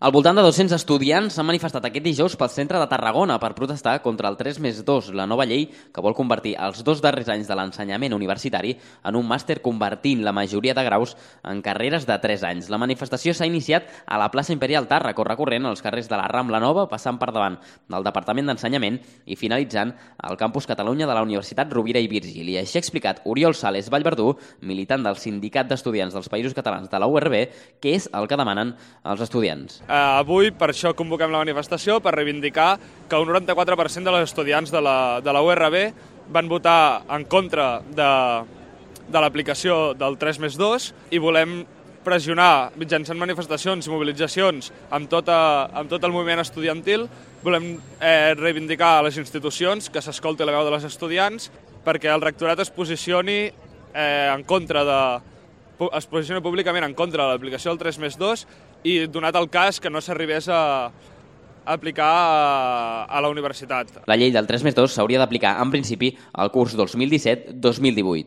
Al voltant de 200 estudiants s'han manifestat aquest dijous pel centre de Tarragona per protestar contra el 3+2, la nova llei que vol convertir els 2 darrers anys de l'ensenyament universitari en un màster, convertint la majoria de graus en carreres de 3 anys. La manifestació s'ha iniciat a la plaça Imperial Tàrraco, recorrent els carrers de la Rambla Nova, passant per davant del Departament d'Ensenyament i finalitzant al campus Catalunya de la Universitat Rovira i Virgili. Així ha explicat Oriol Sales Vallverdú, militant del Sindicat d'Estudiants dels Països Catalans de la URB, què és el que demanen els estudiants. Avui, per això convoquem la manifestació, per reivindicar que un 94% dels estudiants de la URB van votar en contra de l'aplicació del 3+2 i volem pressionar mitjançant manifestacions i mobilitzacions amb tot el moviment estudiantil. Volem reivindicar a les institucions que s'escolti la veu de les estudiants perquè el rectorat es posicioni públicament en contra de l'aplicació del 3+2 i donat el cas que no s'arribés a aplicar a la universitat. La llei del 3+2 s'hauria d'aplicar en principi al curs 2017-2018.